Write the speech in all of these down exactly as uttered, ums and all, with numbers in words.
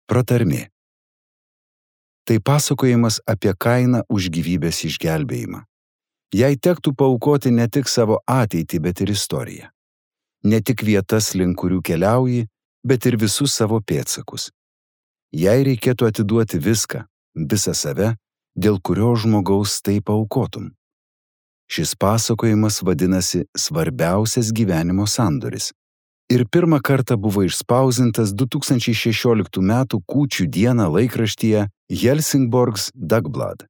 Pratarmė. Tai pasakojimas apie kainą už gyvybės išgelbėjimą. Jei tektų paaukoti ne tik savo ateitį, bet ir istoriją. Ne tik vietas, link kurių keliauji, bet ir visus savo pėdsakus. Jei reikėtų atiduoti viską, visą save, dėl kurio žmogaus tai paaukotum. Šis pasakojimas vadinasi Svarbiausias gyvenimo sandoris ir pirmą kartą buvo išspausdintas du tūkstančiai šešioliktų metų kūčių dieną laikraštyje Helsingborgs Dagblad.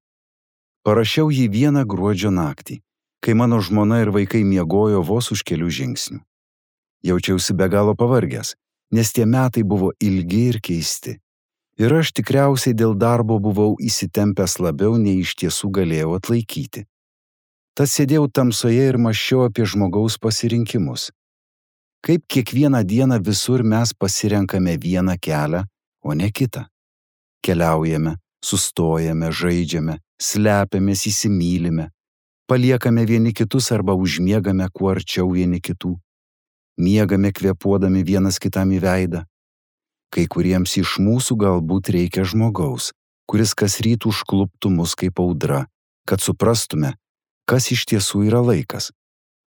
Parašiau jį vieną gruodžio naktį, kai mano žmona ir vaikai miegojo vos už kelių žingsnių. Jaučiausi be galo pavargęs, nes tie metai buvo ilgi ir keisti. Ir aš tikriausiai dėl darbo buvau įsitempęs labiau, nei iš tiesų galėjau atlaikyti. Tad sėdėjau tamsoje ir mąsčiau apie žmogaus pasirinkimus. Kaip kiekvieną dieną visur mes pasirenkame vieną kelią, o ne kitą. Keliaujame, sustojame, žaidžiame, slepiamės, įsimylime, paliekame vieni kitus arba užmiegame kuo arčiau vieni kitų. Miegame kvėpuodami vienas kitam į veidą. Kai kuriems iš mūsų galbūt reikia žmogaus, kuris kasryt užkluptų mus kaip audra, kad suprastume, kas iš tiesų yra laikas,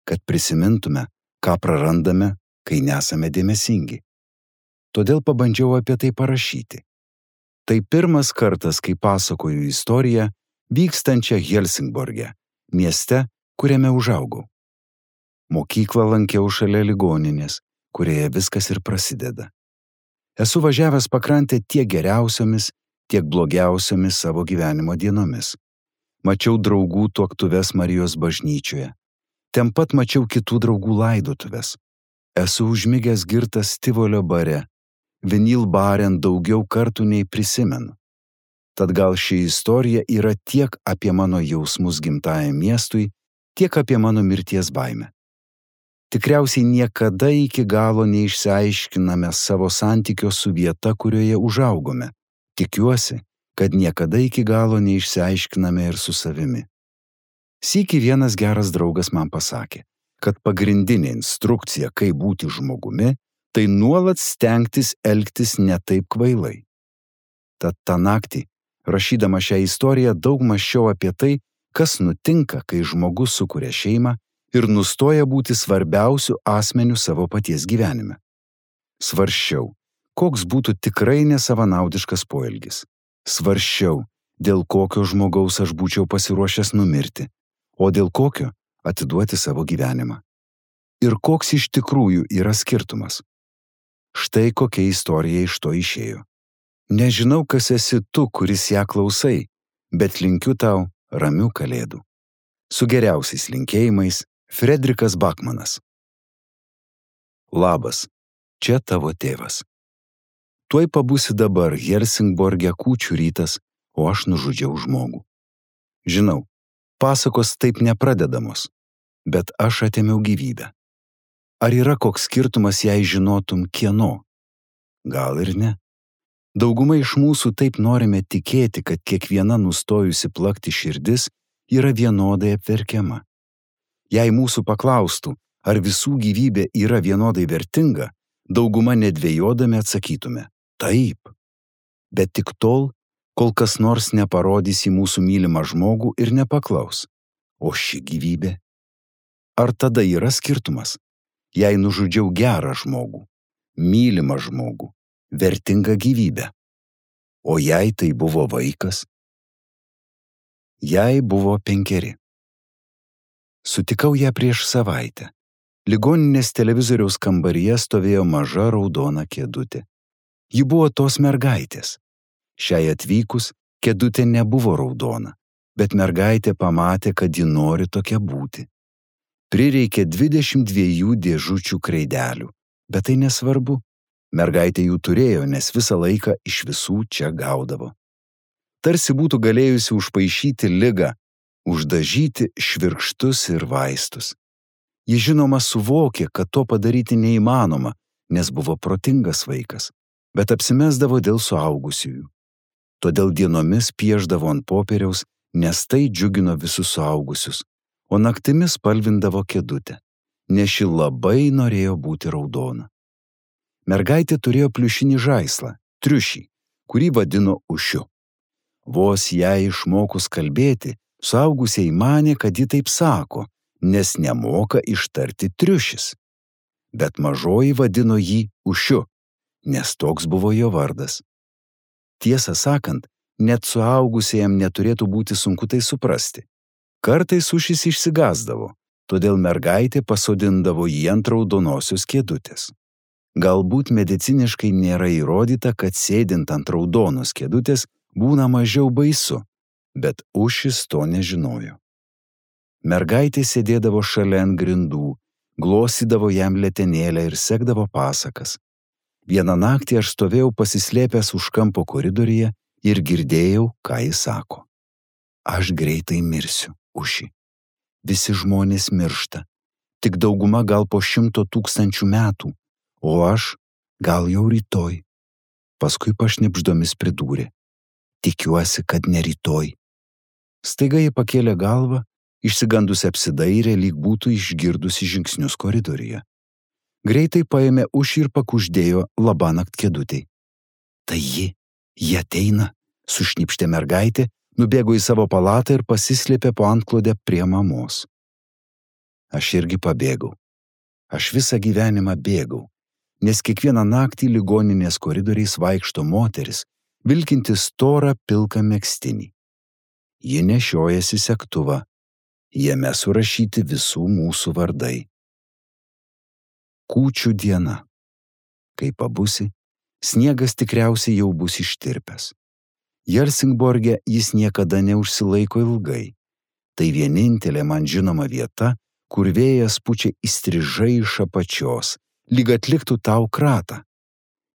kad prisimintume, ką prarandame, kai nesame dėmesingi. Todėl pabandžiau apie tai parašyti. Tai pirmas kartas, kai pasakoju istoriją vykstančią Helsingborge, mieste, kuriame užaugau. Mokyklą lankiau šalia ligoninės, kurioje viskas ir prasideda. Esu važiavęs pakrantę tiek geriausiomis, tiek blogiausiomis savo gyvenimo dienomis. Mačiau draugų tuoktuves Marijos bažnyčioje. Ten pat mačiau kitų draugų laidotuves. Esu užmigęs girtas Tivolio bare. Vinil baren daugiau kartų nei prisimenu. Tad gal ši istorija yra tiek apie mano jausmus gimtajam miestui, tiek apie mano mirties baimę. Tikriausiai niekada iki galo neišsiaiškiname savo santykio su vieta, kurioje užaugome. Tikiuosi, kad niekada iki galo neišsiaiškiname ir su savimi. Sykį vienas geras draugas man pasakė, kad pagrindinė instrukcija, kaip būti žmogumi, tai nuolat stengtis elgtis ne taip kvailai. Tad tą naktį, rašydama šią istoriją, daug mąsčiau apie tai, kas nutinka, kai žmogus sukuria šeimą ir nustoja būti svarbiausiu asmeniu savo paties gyvenime. Svarsčiau, koks būtų tikrai nesavanaudiškas poelgis. Svarsčiau, dėl kokio žmogaus aš būčiau pasiruošęs numirti, o dėl kokio atiduoti savo gyvenimą. Ir koks iš tikrųjų yra skirtumas. Štai kokia istorija iš to išėjo. Nežinau, kas esi tu, kuris ją klausai, bet linkiu tau ramių kalėdų. Su geriausiais linkėjimais, Fredrikas Bakmanas. Labas, čia tavo tėvas. Tuoj pabūsi dabar Helsingborge kūčių rytas, o aš nužudžiau žmogų. Žinau, pasakos taip nepradedamos, bet aš atėmiau gyvybę. Ar yra koks skirtumas, jei žinotum kieno? Gal ir ne. Dauguma iš mūsų taip norime tikėti, kad kiekviena nustojusi plakti širdis yra vienodai apverkiama. Jei mūsų paklaustų, ar visų gyvybė yra vienodai vertinga, dauguma nedvejodami atsakytume – taip. Bet tik tol, kol kas nors neparodys į mūsų mylimą žmogų ir nepaklaus. O ši gyvybė? Ar tada yra skirtumas? Jei nužudžiau gerą žmogų, mylimą žmogų, vertingą gyvybę. O jei tai buvo vaikas? Jai buvo penkeri. Sutikau ją prieš savaitę. Ligoninės televizoriaus kambaryje stovėjo maža raudona kėdutė. Ji buvo tos mergaitės. Šiai atvykus kėdutė nebuvo raudona, bet mergaitė pamatė, kad ji nori tokia būti. Prireikė dvidešimt dviejų dėžučių kreidelių, bet tai nesvarbu. Mergaitė jų turėjo, nes visą laiką iš visų čia gaudavo. Tarsi būtų galėjusi užpaišyti ligą, uždažyti švirkštus ir vaistus. Ji žinoma suvokė, kad to padaryti neįmanoma, nes buvo protingas vaikas, bet apsimesdavo dėl suaugusiųjų. Todėl dienomis pieždavo ant popieriaus, nes tai džiugino visus suaugusius, o naktimis spalvindavo kėdutę, nes ši labai norėjo būti raudona. Mergaitė turėjo pliušinį žaislą, triušį, kurį vadino Ušiu. Vos jai išmokus kalbėti, suaugusieji manė, kad ji taip sako, nes nemoka ištarti triušis. Bet mažoji vadino jį Ušiu, nes toks buvo jo vardas. Tiesą sakant, net suaugusiems neturėtų būti sunku tai suprasti. Kartais Ušis išsigąsdavo, todėl mergaitė pasodindavo jį ant raudonosios kėdutės. Galbūt mediciniškai nėra įrodyta, kad sėdint ant raudonos kėdutės būna mažiau baisu, bet Ušis to nežinojo. Mergaitė sėdėdavo šalia ant grindų, glostydavo jam letenėlę ir sekdavo pasakas. Vieną naktį aš stovėjau pasislėpęs už kampo koridoriuje ir girdėjau, ką jis sako. Aš greitai mirsiu, Uši. Visi žmonės miršta, tik dauguma gal po šimto tūkstančių metų, o aš gal jau rytoj. Paskui pašnibždomis pridūrė. Tikiuosi, kad ne rytoj. Staiga ji pakėlė galvą, išsigandusi apsidairė, lyg būtų išgirdusi žingsnius koridoriuje. Greitai paėmė Ušį ir pakuždėjo labanakt kėdutei. Tai ji, ji ateina, sušnipštė mergaitė, nubėgo į savo palatą ir pasislėpė po antklodę prie mamos. Aš irgi pabėgau. Aš visą gyvenimą bėgau, nes kiekvieną naktį ligoninės koridoriais vaikšto moteris, vilkinti storą pilką megztinį. Ji nešiojasi segtuvą, jame surašyti visų mūsų vardai. Kūčių diena. Kai pabusi, sniegas tikriausiai jau bus ištirpęs. Helsingborge jis niekada neužsilaiko ilgai. Tai vienintelė man žinoma vieta, kur vėjas pučia įstrižai iš apačios, lyg atliktų tau kratą.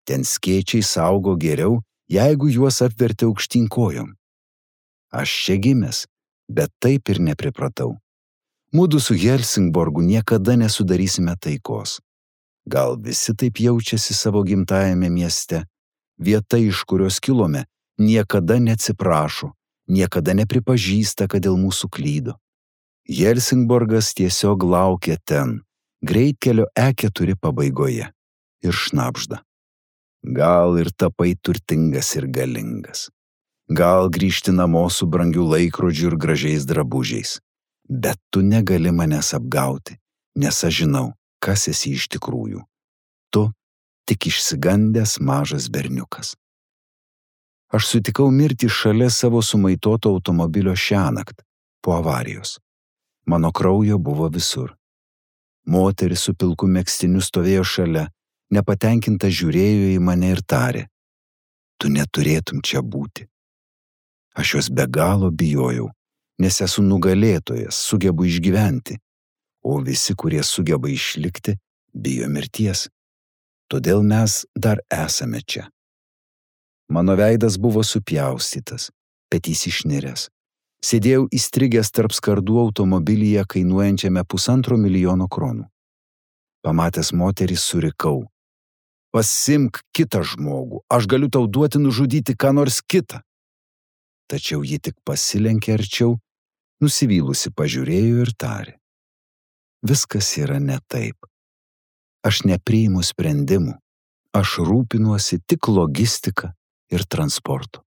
Ten skėčiai saugo geriau, jeigu juos apverti aukštyn kojom. Aš čia gimęs, bet taip ir nepripratau. Mudu su Helsingborgu niekada nesudarysime taikos. Gal visi taip jaučiasi savo gimtajame mieste. Vieta, iš kurios kilome, niekada neatsiprašo, niekada nepripažįsta, kad dėl mūsų klydo. Helsingborgas tiesiog laukia ten, greitkelio E keturi pabaigoje, ir šnabžda. Gal ir tapai turtingas ir galingas. Gal grįžti namo su brangiu laikrodžiu ir gražiais drabužiais. Bet tu negali manęs apgauti, nes aš žinau, kas esi iš tikrųjų. Tu tik išsigandęs mažas berniukas. Aš sutikau mirtį šalia savo sumaitoto automobilio šiąnakt, po avarijos. Mano kraujo buvo visur. Moteris su pilku megztiniu stovėjo šalia, nepatenkinta žiūrėjo į mane ir tarė. Tu neturėtum čia būti. Aš jos be galo bijojau, nes esu nugalėtojas, sugebu išgyventi, o visi, kurie sugeba išlikti, bijo mirties. Todėl mes dar esame čia. Mano veidas buvo supjaustytas, petys išniręs. Sėdėjau įstrigęs tarp skardų automobilyje kainuojančiame pusantro milijono kronų. Pamatęs moterį surikau. Pasimk kitą žmogų, aš galiu tau duoti nužudyti ką nors kitą. Tačiau ji tik pasilenkė arčiau, nusivylusi pažiūrėjo ir tarė. Viskas yra ne taip. Aš nepriimu sprendimų, aš rūpinuosi tik logistika ir transportu.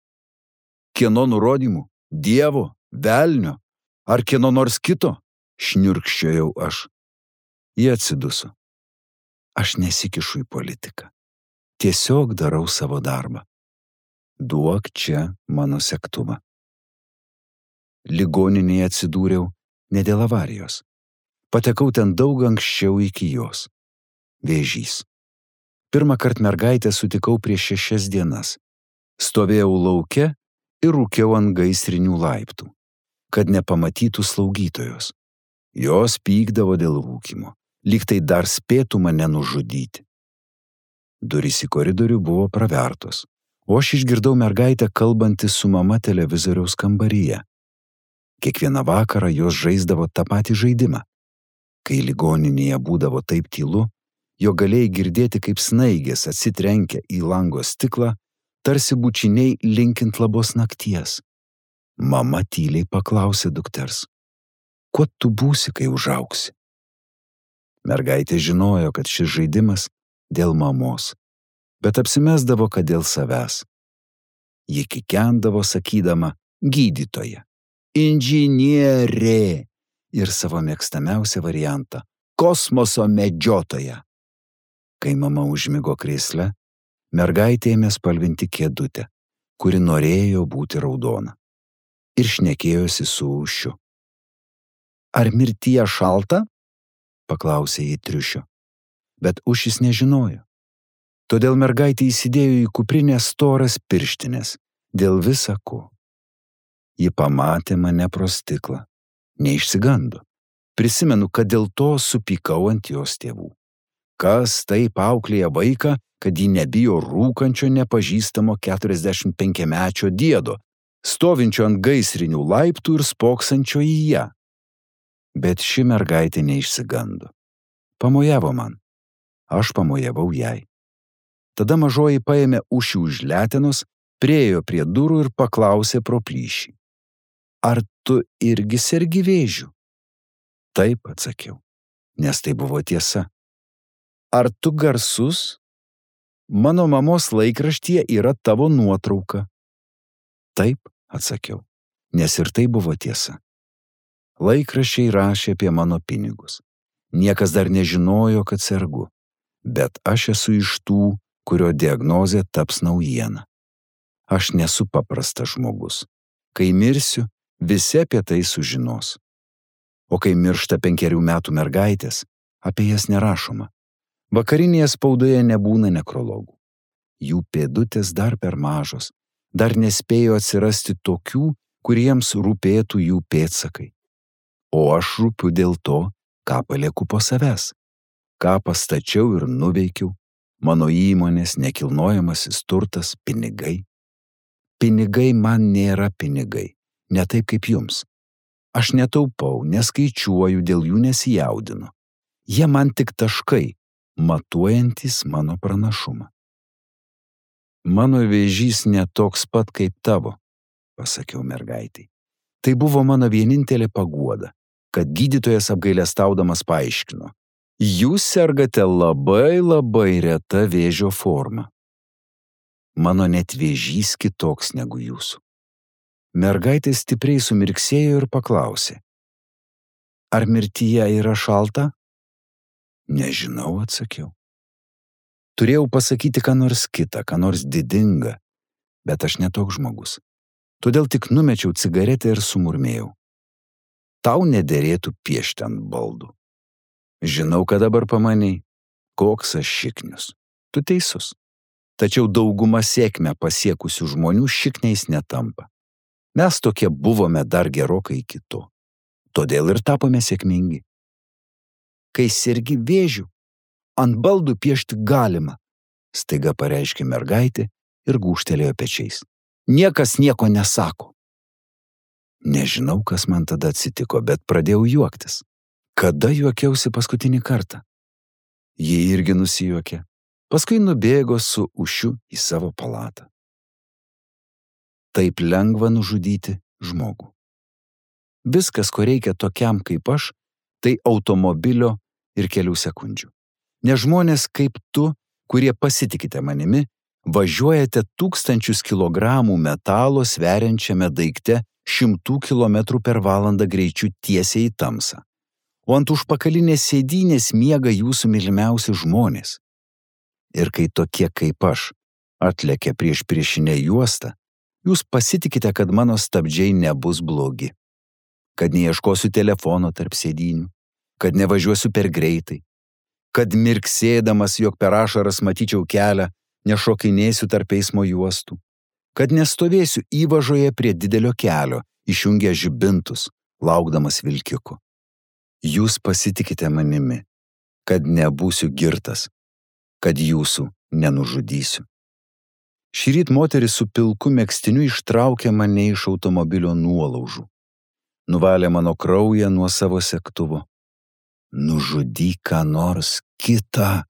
Kieno nurodymų? Dievo, velnio, ar kieno nors kito? Šniurkščiojau aš. Jie atsiduso. Aš nesikišu į politiką. Tiesiog darau savo darbą. Duok čia mano segtuvą. Ligoninėje atsidūriau ne dėl avarijos. Patekau ten daug anksčiau iki jos. Vėžys. Pirmą kartą mergaitę sutikau prieš šešias dienas. Stovėjau lauke ir rūkiau ant gaisrinių laiptų, kad nepamatytų slaugytojos. Jos pykdavo dėl rūkymo, lyg tai dar spėtų mane nužudyti. Durys į koridorių buvo pravertos, o aš išgirdau mergaitę kalbantį su mama televizoriaus kambaryje. Kiekvieną vakarą jos žaisdavo tą patį žaidimą. Kai ligoninėje būdavo taip tylu, jo galėjai girdėti, kaip snaigės atsitrenkia į lango stiklą, tarsi bučiniai linkint labos nakties. Mama tyliai paklausė dukters. Kuo tu būsi, kai užaugsi? Mergaitė žinojo, kad šis žaidimas dėl mamos, bet apsimesdavo, kad dėl savęs. Ji kikendavo sakydama gydytoja, inžinierė ir savo mėgstamiausią variantą kosmoso medžiotoja. Kai mama užmigo krėsle, mergaitė ėmė spalvinti kėdutę, kuri norėjo būti raudona, ir šnekėjosi su Ušiu. Ar mirtyje šalta? Paklausė jį triušio, bet Ušis nežinojo. Todėl mergaitė įsidėjo į kuprinę storas pirštinės, dėl visa ko. Ji pamatė mane pro stiklą, neišsigando. Prisimenu, kad dėl to supykau ant jos tėvų. Kas taip auklėja vaiką, kad ji nebijo rūkančio nepažįstamo keturiasdešimt penkiamečio diedo, stovinčio ant gaisrinių laiptų ir spoksančio į ją. Bet ši mergaitė neišsigando. Pamojavo man. Aš pamojavau jai. Tada mažoji paėmė Ušį už letenos, priėjo prie durų ir paklausė pro plyšį. Ar tu irgi sergi vėžiu? Taip, atsakiau, nes tai buvo tiesa. Ar tu garsus? Mano mamos laikraštyje yra tavo nuotrauka. Taip, atsakiau, nes ir tai buvo tiesa. Laikraščiai rašė apie mano pinigus. Niekas dar nežinojo, kad sergu, bet aš esu iš tų, kurio diagnozė taps naujiena. Aš nesu paprastas žmogus. Kai mirsiu, visi apie tai sužinos. O kai miršta penkerių metų mergaitės, apie jas nerašoma. Vakarinėje spaudoje nebūna nekrologų. Jų pėdutės dar per mažos, dar nespėjo atsirasti tokių, kuriems rūpėtų jų pėdsakai. O aš rūpiu dėl to, ką palieku po savęs, ką pastačiau ir nuveikiau, mano įmonės, nekilnojamasis turtas, pinigai. Pinigai man nėra pinigai, ne taip kaip jums. Aš netaupau, neskaičiuoju, dėl jų nesijaudinu. Jie man tik taškai, matuojantis mano pranašumą. Mano vėžys netoks pat kaip tavo, pasakiau mergaitai. Tai buvo mano vienintelė paguoda, kad gydytojas apgailestaudamas paaiškino. Jūs sergate labai labai reta vėžio forma. Mano net vėžys kitoks negu jūsų. Mergaitė stipriai sumirksėjo ir paklausė. Ar mirtyje yra šalta? Nežinau, atsakiau. Turėjau pasakyti ką nors kitą, ką nors didingą, bet aš netoks žmogus. Todėl tik numečiau cigaretę ir sumurmėjau. Tau nederėtų piešti ant baldų. Žinau, kad dabar pamanei, koks aš šiknius. Tu teisus. Tačiau dauguma sėkmę pasiekusių žmonių šikniais netampa. Mes tokie buvome dar gerokai iki to. Todėl ir tapome sėkmingi. Kai sergi vėžiu, ant baldų piešti galima, staiga pareiškė mergaitė ir gūžtelėjo pečiais. Niekas nieko nesako. Nežinau, kas man tada atsitiko, bet pradėjau juoktis. Kada juokiausi paskutinį kartą? Ji irgi nusijuokė. Paskui nubėgo su Ušiu į savo palatą. Taip lengva nužudyti žmogų. Viskas, ko reikia tokiam kaip aš, tai automobilio ir kelių sekundžių. Ne žmonės kaip tu, kurie pasitikite manimi, važiuojate tūkstančius kilogramų metalo sveriančiame daikte šimtų kilometrų per valandą greičiu tiesiai į tamsą. O ant užpakalinės sėdynės miega jūsų mylimiausi žmonės. Ir kai tokie kaip aš atlekia prieš priešinę juostą, jūs pasitikite, kad mano stabdžiai nebus blogi, kad neieškosiu telefono tarp sėdynių, kad nevažiuosiu per greitai, kad mirksėdamas, jog per ašaras matyčiau kelią, nešokinėsiu tarp eismo juostų, kad nestovėsiu įvažoje prie didelio kelio, išjungę žibintus, laukdamas vilkiku. Jūs pasitikite manimi, kad nebūsiu girtas, kad jūsų nenužudysiu. Šįryt moteris su pilku megztiniu ištraukė mane iš automobilio nuolaužų. Nuvalė mano kraują nuo savo segtuvo. Nužudyk ką nors kitą,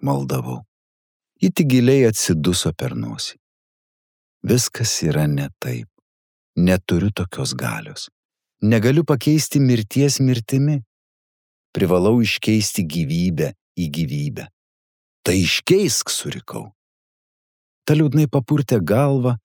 maldavau. Ji tik giliai atsiduso per nosį. Viskas yra ne taip. Neturiu tokios galios. Negaliu pakeisti mirties mirtimi. Privalau iškeisti gyvybę į gyvybę. Tai iškeisk, surikau. Ta liūdnai papurtė galvą